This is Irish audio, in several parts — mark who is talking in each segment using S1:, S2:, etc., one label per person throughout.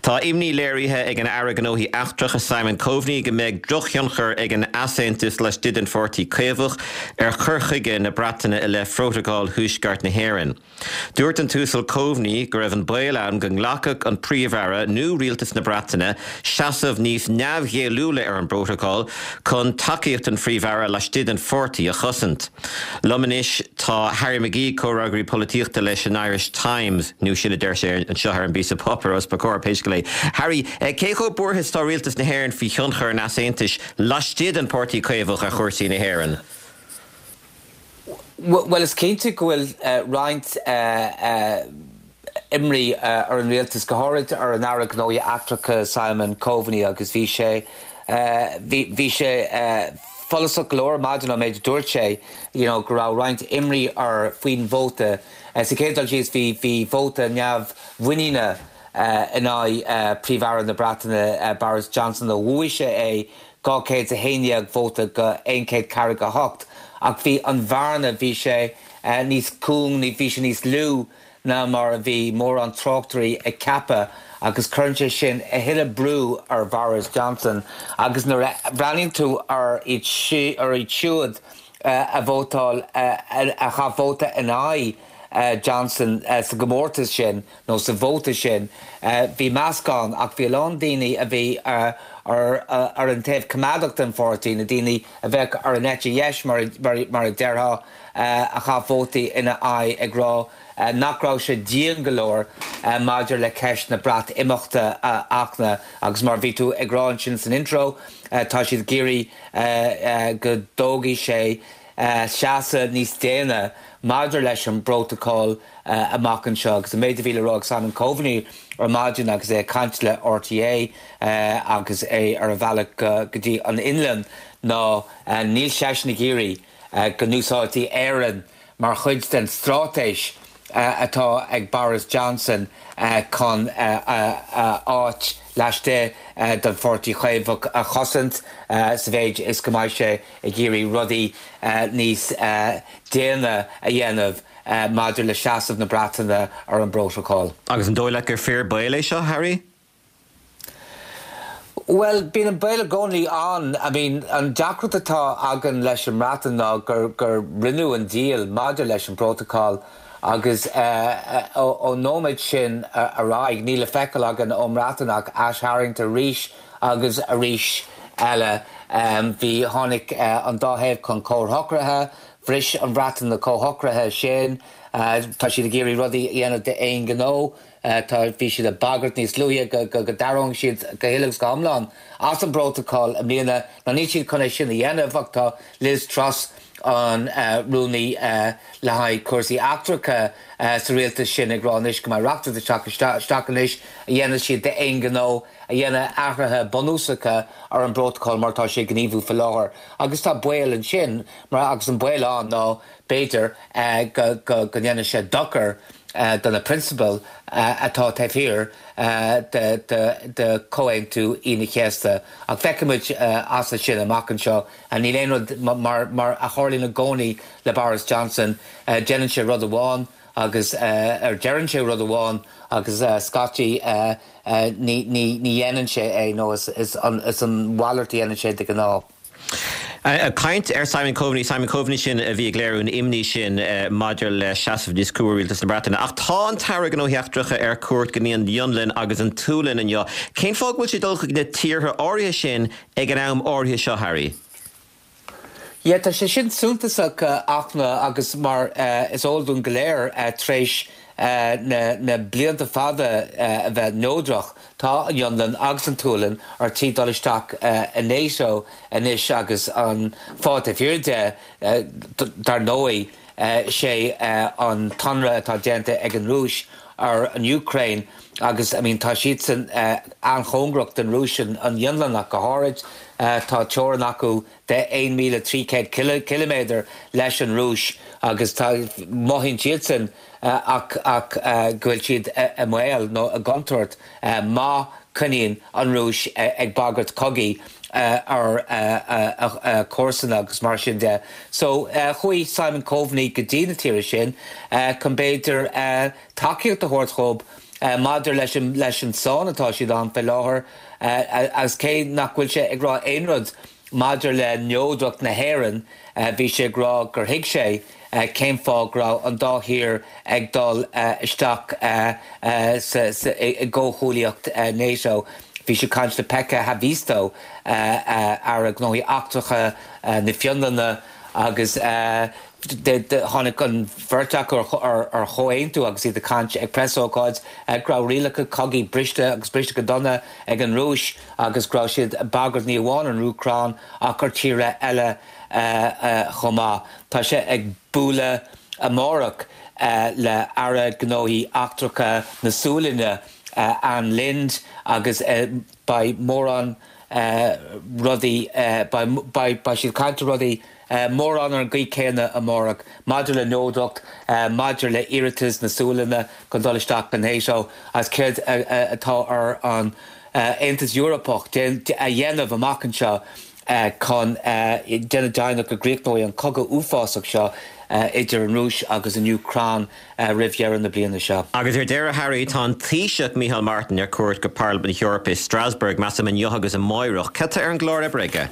S1: Tá imní léirithe ag an Aire Gnóthaí Eachtracha Simon Coveney go mbeidh drochthionchar ag an easaontas laistigh den Pháirtí Caomhach ar chur chuige na Breataine i leith Phrótacal Thuaisceart na hÉireann. Dúirt an tUasal Coveney go raibh an baol ann go nglacfadh an Príomh-Aire nó Rialtas na Breataine seasamh níos neamhghéilliúla ar an bprótacal chun tacaíocht an Phríomh-Aire laistigh den pháirtí a chosaint. Liom anois tá Harry McGee, comhfhreagraí polaitíochta leis an Irish Times, nó sin a deir sé anseo ar an bpíosa páipéir os mo chomhair, pé scéal é. Harry, cé chomh buartha is atá Rialtas na hÉireann faoi thionchar an easaontais laistigh den Pháirtí Caomhach ar chúrsaí na hÉireann?
S2: Bhuel, is cinnte go bhfuil roinnt imní ar an rialtas, go háirid ar an Aire Gnóthaí Eachtracha Simon Coveney agus bhí sé, bhí sé follasach go leor ar maidin ón méid a dúirt sé, you know, go raibh roinnt imní air faoin vóta. Sa chéad dul síos bhí, bhí vóta neamh-mhuiníne in aghaidh Príomh-Aire na Breataine Boris Johnson ó bhuaigh sé é 211 vóta go 148 ach bhí an bhearna, bhí sé níos cúng, bhí sé níos lú ná mar a bhí mórán tráchtairí ag ceapadh agus cuireann sé sin a thuilleadh brú ar Bhoris Johnson agus nuair a bhreathnaíonn tú ar iad siúd a vótáil, a chaith vóta in aghaidh Johnson sa gcomórtas sin nó sa vóta sin, bhí meascán ach bhí a lán daoine a bhí ar an taobh coimeádach den pháirtí, na daoine a bheadh ar an eite dheis mar a déarfá, a chaith vótaí ina aghaidh ag rá nach raibh sé dian go leor maidir le ceist na Breatimeachta a Fhachtna agus mar a bhí tú ag rá ansin san intro, tá siad ag iarraidh go dtógfaidh sé seasamh níos déine maidir leis an bprótacal amach anseo. Agus an méid a bhí le rá ag Simon Coveney ar maidin agus é ag caint le RTÉ agus é ar a bhealach go dtí an Fhionlainn ná níl seisean ag iarraidh go n-úsáidfí Éirinn mar chuid den straitéis atá ag Boris Johnson chun a áit laistigh den Pháirtí Chaomhach a chosaint sa mhéid is go mbeidh sé ag iarraidh rudaí níos déine a dhéanamh maidir le seasamh na Breataine ar an bprótacal.
S1: Agus an dóigh leat gur fíor baol é seo, Harry?
S2: Bhuel, bíonn an baol i gcónaí ann. I mean, an deacracht atá againn leis an mBreatain ná gur, gur rinneadh an díol maidir leis an bprótacal agus ón nóiméad sin ar aghaidh, níl le feiceáil againn ón mBreatain ach aistharraingt arís agus arís eile. Bhí, tháinig an dá thaobh chun comhshocruithe, bhris an Bhreatain na comhshocruithe sin, tá siad ag iarraidh rudaí a dhéanamh d'aon ghnó. Tá, bhí siad ag bagairt níos luaithe go, go, go dtarraingeodh siad go huile agus go hiomlán as an bprótacal i mbliana. Now níl siad chun é sin a dhéanamh ach tá Liz Truss, an rúnaí le haghaidh cúrsaí eachtracha sa rialtas sin ag rá anois go mbeidh reachtaíocht ag teacht isteach anois a dhéanfaidh siad d'aon ghnó a dhéanfaidh athruithe bunúsacha ar an bprótacal mar atá sé ag gníomhú faoi láthair. Agus tá baol ansin mar, agus an baol ann ná b'fhéidir go, go, go ndéanfaidh sé dochar do na prionsabail atá taobh thiar de Chomhaontú Aoine an Chéasta. Ach feicfimid as sin amach anseo. Níl aon rud mar a tharlaíonn i gcónaí le Boris Johnson, déanann sé rud amháin agus, ar deireann sé rud amháin agus scaití ní dhéanann sé é nó is an mhalairt a dhéanann sé de ghnáth.
S1: Ag caint ar Simon Coveney, Simon Coveney sin a bhí ag léiriú an imní sin maidir le seasamh níos crua Rialtas na Breataine. Ach tá an tAire Gnóthaí Eachtracha ar cuairt go dtí an Fhionlainn agus an tSualainn inniu. Cén fáth go bhfuil sé ag dul chuig na tíortha áirithe sin ag an am áirithe seo, Harry?
S2: Yeah, tá sé sin suntasach, a Fhachtna, agus mar is eol dúinn go léir, tar éis na blianta fada a bheith neodrach, tá an Fhionlainn agus an tSualainn ar tí dul isteach i NATO anois agus an fáth taobh thiar de, dar ndóigh, sé an t-ionradh atá déanta ag an Rúis ar an Úcráin agus, I mean, tá siadsan an-chóngarach don Rúis, an Fhionlainn ach go háirid, tá teorainn acu de 1,300 ciliméadar leis an Rúis agus tá, mothaíonn siadsan ach ach go bhfuil siad i mbaol nó i gcontúirt má choinníonn an Rúis ag bagairt cogaidh ar a comharsana agus mar sin de. So chuaigh Simon Coveney go dtí na tíortha sin chun b'fhéidir tacaíocht a thabhairt dhóibh. maidir leis an leis an sáinn atá siad ann fé láthair agus cé nach bhfuil sé ag rá aon rud maidir le neodracht na hÉireann, bhí sé ag rá gur thuig sé cén fáth go raibh an dá thír ag dul isteach i gcomhghuaillíocht NATO. Bhí sé ag caint le Pekka Haavisto, Aire Gnóthaí Eachtracha na Fionlainne, agus tháinig an bheirt acu ar chomhaontú agus iad ag caint ag preasócáid go raibh rialacha cogaidh briste agus briste go dona ag an Rúis agus go raibh siad ag bagairt ní amháin ar an Úcráin ach ar tíortha eile chomh maith. Tá sé ag bualadh amárach le Aire Gnóthaí Eachtracha na Sualainne, Ann Linde, agus beidh mórán rudaí, beidh siad ag caint ar rudaí mórán ar an gcaoi céanna amárach maidir le neodracht, maidir le iarratas na Sualainne chun dul isteach i NATO agus céard atá ar an Aontas Eorpach a dhéanamh amach anseo chun déanamh deimhneach go gcríochnóidh an cogadh uafásach seo idir an Rúis agus an Úcráin roimh dheireadh na bliana seo.
S1: Agus ar deireadh, Harry, tá an Taoiseach Micheál Martin ar cuairt go Parlaimint na hEorpa i Strasbourg, measaim inniu agus amáireach. Cad tá ar an gclár oibre aige?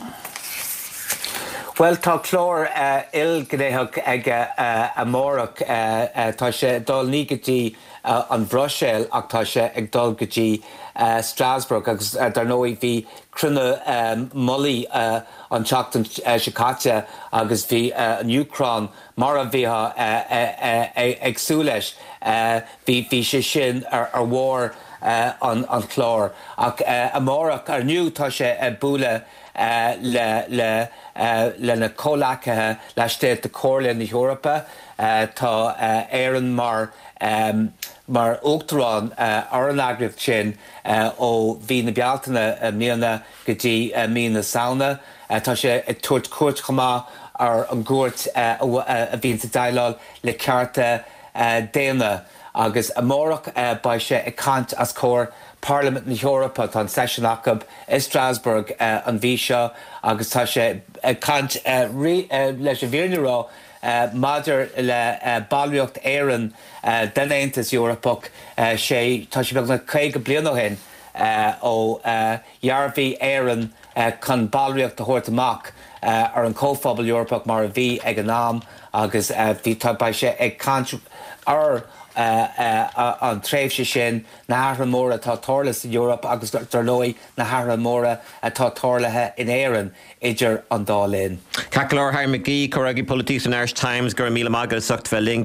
S2: Bhuel, tá clár ilghnéitheach aige amárach. Tá sé ag dul ní go dtí an Bhruiséil ach tá sé ag dul go dtí Strasbourg agus dar ndóigh bhí cruinniú mullaigh an tseachtain seo caite agus bhí an Úcráin mar a bheifeá ag súil leis, bhí sé sin ar bharr an chláir. Ach amárach, inniu, tá sé ag bualadh le lena chomhleacaithe laistigh de Chomhairle na hEorpa. Tá Éirinn mar mar uachtarán ar an eagraíocht sin ó mhí na Bealtaine i mbliana go dtí mí na Samhna. Tá sé ag tabhairt cuairt chomh maith ar an gcúirt a bhíonns ag déileáil le cearta daonna agus amárach beidh sé ag caint os comhair Parlaimint na hEorpa. Tá an seisiún acu i Strasbourg an mhí seo agus tá sé ag caint leis an bhfírinne a rá maidir le ballraíocht Éireann den Aontas Eorpach. Sé tá sé beagnach 50 bliain ó shin ó dhearbhaigh Éirinn chun ballraíocht a thabhairt amach ar an Chomhphobal Eorpach mar a bhí ag an am agus bhí tá beidh sé ag caint ar an tréimhse sin, na hathruithe móra atá tarlaithe san Eoraip agus dar ndóigh na hathruithe móra atá tarlaithe in Éirinn idir an dá linn.
S1: Ceart go leor, Harry McGee, Comhfhreagraí Polaitíochta an Irish Times, go raibh míle maith agat as ucht bheith linn.